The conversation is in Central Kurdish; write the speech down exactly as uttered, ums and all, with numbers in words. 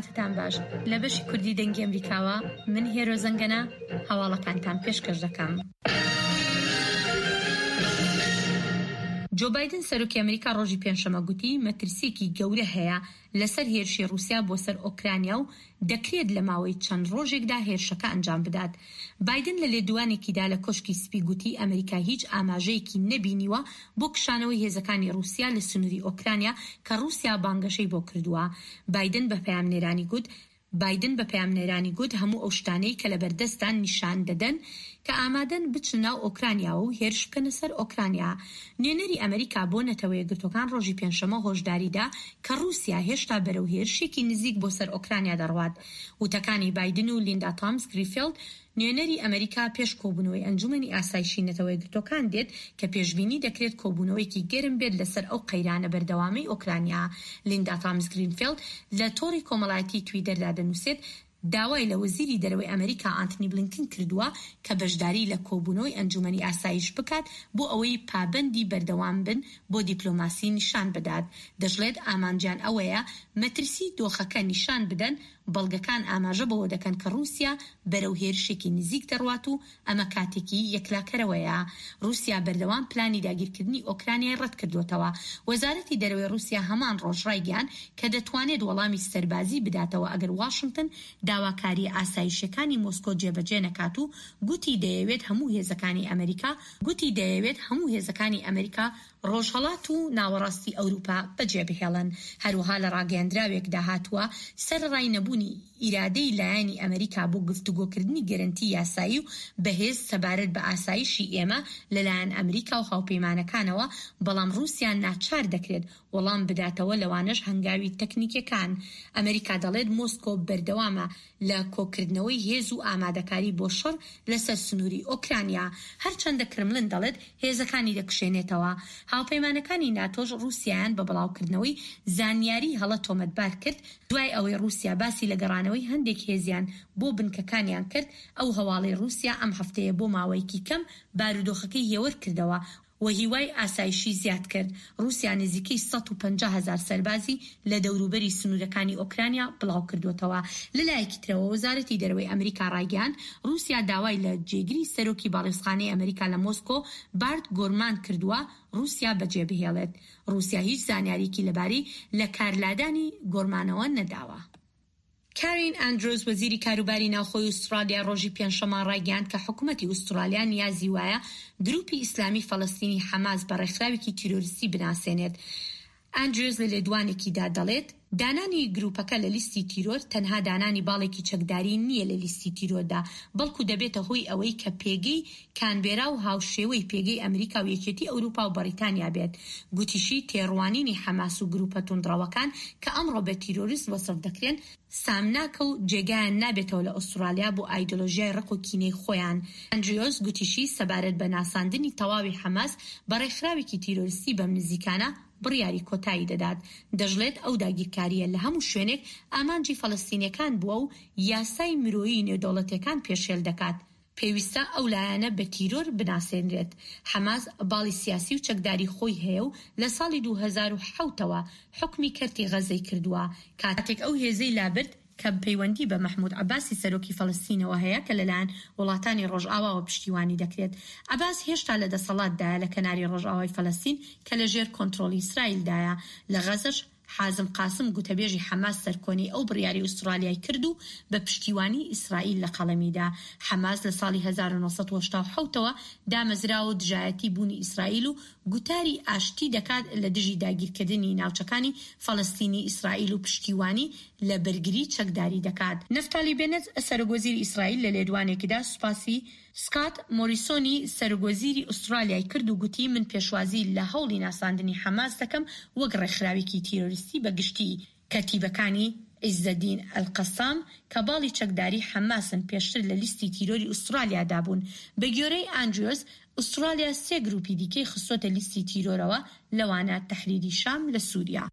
کاتتان باش. لە بەشی کوردی دەنگی ئەمریکاوە من هێرۆ زەنگەنە هەواڵەکانتان پێشکەش دەکەم. جۆ بایدن سەرۆکی ئەمریکا ڕۆژی پێنجشەممە گوتی مەترسییەکی گەورە هەیە لەسەر هێرشی ڕووسیا بۆ سەر ئۆکرانیا و دەکرێت لە ماوەی چەند ڕۆژێکدا هێرشەکە ئەنجام بدات. بایدن لە لێدوانێکیدا لە کۆشکی سپی گوتی ئەمریکا هیچ ئاماژەیەکی نەبینیوە بۆ کشانەوەی هێزەکانی ڕووسیا لە سنووری ئۆکرانیا کە ڕووسیا بانگەشەی بۆ کردووە. بایدن بە پەیامنێرانی گوت بایدن بە پەیامنێرانی گوت هەموو ئەو شتانەی کە لەبەردەستدان نیشان دەدەن کە ئامادەن بچنە ناو ئۆکرانیاوە و هێرش بکەنە سەر ئۆکرانیا. نوێنەری ئەمریکا بۆ نەتەوەیەکگرتووەکان ڕۆژی پێنجشەممە هۆشداری دا کە ڕووسیا هێشتا بەرەو هێرشێکی نزیک بۆ سەر ئۆکرانیا دەڕوات. وتەکانی بایدن و لیندا تامس گریفێڵد نوێنەری ئەمریکا پێش کۆبوونەوەی ئەنجومەنی ئاسایشی نەتەوەیەکگرتووەکان دێت کە پێشبینی دەکرێت کۆبوونەوەیەکی گەرم بێت لەسەر ئەو قەیرانە بەردەوامەی ئۆکرانیا. لیندا تامس گرینفێڵد لە تۆڕی کۆمەڵایەتی تویتەردا دەنووسێت داوای لە وەزیری دەرەوەی ئەمریکا ئانتنی بلینکن کردووە کە بەشداری لە کۆبوونەوەی ئەنجومەنی ئاسایش بکات بۆ ئەوەی پابەندی بەردەوام بن بۆ دیپلۆماسی نیشان بدات. دەشڵێت ئامانجیان ئەوەیە مەترسی دۆخەکە نیشان بدەن، بەڵگەکان ئاماژە بەوە دەکەن کە ڕووسیا بەرەو هێرشێکی نزیک دەڕوات و ئەمە کاتێکی یەکلاکەرەوەیە. ڕووسیا بەردەوام پلانی داگیرکردنی ئۆکرانیای ڕەتکردووەتەوە. وەزارەتی دەرەوەی ڕووسیا هەمان ڕۆژ ڕایگەیاند کە دەتوانێت وەڵامی سەربازی بداتەوە ئەگەر واشنتن داواکارییە ئاسایشییەکانی مۆسکۆ جێبەجێ نەکات و گوتی دەیەوێت هەموو هێزەکانی ئەمریکا گوتی دەیەوێت هەموو هێزەکانی ئەمریکا ڕۆژهەڵات و ناوەڕاستی ئەوروپا بەجێبهێڵن. هەروەها لە ڕاگەیەندراوێکدا هاتووە، سەرەڕای نەبوونی ئیرادەی لایەنی ئەمریکا بۆ گفتوگۆکردنی گەرەنتی یاسایی و بەهێز سەبارەت بە ئاسایشی ئێمە لەلایەن ئەمریکا و هاوپەیمانەکانەوە، بەڵام ڕووسیا ناچار دەکرێت وەڵام بداتەوە لەوانەش هەنگاوی تەکنیکیەکان. ئەمریکا دەڵێت مۆسکۆ بەردەوامە لە کۆکردنەوەی هێز و ئامادەکاری بۆ شەڕ لەسەر سنووری ئۆکرانیا، هەرچەندە کرملن دەڵێت هێزەکانی دەکشێنێتەوە. هاوپەیمانەکانی ناتۆش ڕووسیایان بە بڵاوکردنەوەی زانیاری هەڵە تۆمەتبار کرد، دوای ئەوەی ڕووسیا باسی لە گەڕانەوەی هەندێک هێزیان بۆ بنکەکانیان کرد، ئەو هەواڵەی ڕووسیا ئەم هەفتەیە بۆ ماوەیەکی کەم بارودۆخەکەی هێور کردەوە و هیوای ئاسایشی زیاد کرد. ڕووسیا نزیکەی سەد و پەنجا هەزار سەربازی لە دەوروبەری سنوورەکانی ئۆکرانیا بڵاوکردووەتەوە. لەلایەکی ترەوە وەزارەتی دەرەوەی ئەمریکا ڕایگەیاند، ڕووسیا داوای لە جێگری سەرۆکی باڵیۆزخانەی ئەمریکا لە مۆسکۆ بارت گۆرمان کردووە ڕووسیا بەجێبهێڵێت. ڕووسیا هیچ زانیارییەکی لەبارەی لەکارلادانی گۆرمانەوە نەداوە. کارین ئاندرۆز وەزیری کاروباری ناوخۆی ئوسترالیا ڕۆژی پێنجشەممە ڕایگەیاند کە حکومەتی ئوسترالیا نیازی وایە گروپی ئیسلامی فەلەستینی حەماس بە ڕێکخراوێکی تیرۆریستی بناسێنێت. ئاندرۆز لە لێدوانێکیدا دەڵێت دانانی گروپەکە لە لیستی تیرۆر تەنها دانانی باڵێکی چەکداری نییە لە لیستی تیرۆردا، بەڵکو دەبێتە هۆی ئەوەی کە پێگەی کانبێرا و هاوشێوەی پێگەی ئەمریکا و یەکێتی ئەوروپا و بەڕیتانیا بێت. گوتیشی تێڕوانینی حەماس و گروپە توندڕەوەکان کە ئەمڕۆ بە تیرۆریست وەسف دەکرێن، سامناکە و جێگایان نابێتەوە لە ئوسترالیا بۆ ئایدۆلۆژیای ڕق و کینەی خۆیان. ئەندریۆس گوتیشی سەبارەت بە ناساندنی تەواوی حەماس بە ڕێکخراوێکی تیرۆریستی بەم نزیکانە بڕیاری کۆتایی دەدات. دەشڵێت ئەو داگیرکارییە لە هەموو شوێنێک ئامانجی فەلەستینیەکان بووە و یاسای مرۆیی نێودەوڵەتیەکان پێشێل دەکات. پێویستە ئەو لایەنە بە تیرۆر بناسێنرێت. حەماس باڵی سیاسی و چەکداری خۆی هەیە و لە ساڵی دوو هەزار و حەوت ەوە حوکمی کەرتی غەزەی کردووە، کاتێک ئەو هێزەی لابرد کە پەیوەندی بە مەحمود عەباسی سەرۆکی فەلەستینەوە هەیە کە لەلایەن وڵاتانی ڕۆژئاواوە پشتیوانی دەکرێت. عەباس هێشتا لە دەسەڵاتدایە لە کەناری ڕۆژئاوای فەلەستین کە لەژێر کۆنترۆڵی ئیسرائیلدایە. لە غەزەش حازم قاسم گوتەبێژی حەماس سەرکۆنەی ئەو بڕیارەی ئوسترالیای کرد و بە پشتیوانی ئیسرائیل لە قەڵەمی دا. حەماس لە ساڵی هەزار و نۆ سەد و هەشتا و حەوت ەوە دامەزراوە و دژایەتی بوونی ئیسرائیل و گوتاری ئاشتی دەکات لە دژی داگیرکردنی ناوچەکانی فەلەستینی ئیسرائیل و پشتیوانی لە بەرگری چەکداری دەکات. نەفتالی بێنێت سەرۆکوەزیری ئیسرائیل لە لێدوانێکیدا سوپاسی سکات مۆریسۆنی سەرۆکوەزیری ئوسترالیای کرد و گوتی من پێشوازی لە هەوڵی ناساندنی حەماس دەکەم وەک ڕێکخراوێکی تیرۆریستی بە گشتی. کەتیبەکانی عیزەدین ئەلقەسام کە باڵی چەکداری حەماسن پێشتر لە لیستی تیرۆری ئوسترالیادا بوون. بەگوێرەی ئاندریۆس، ئوسترالیا سێ گروپی دیکەی خستۆتە لیستی تیرۆرەوە لەوانە تەحریری شام لە سوریا.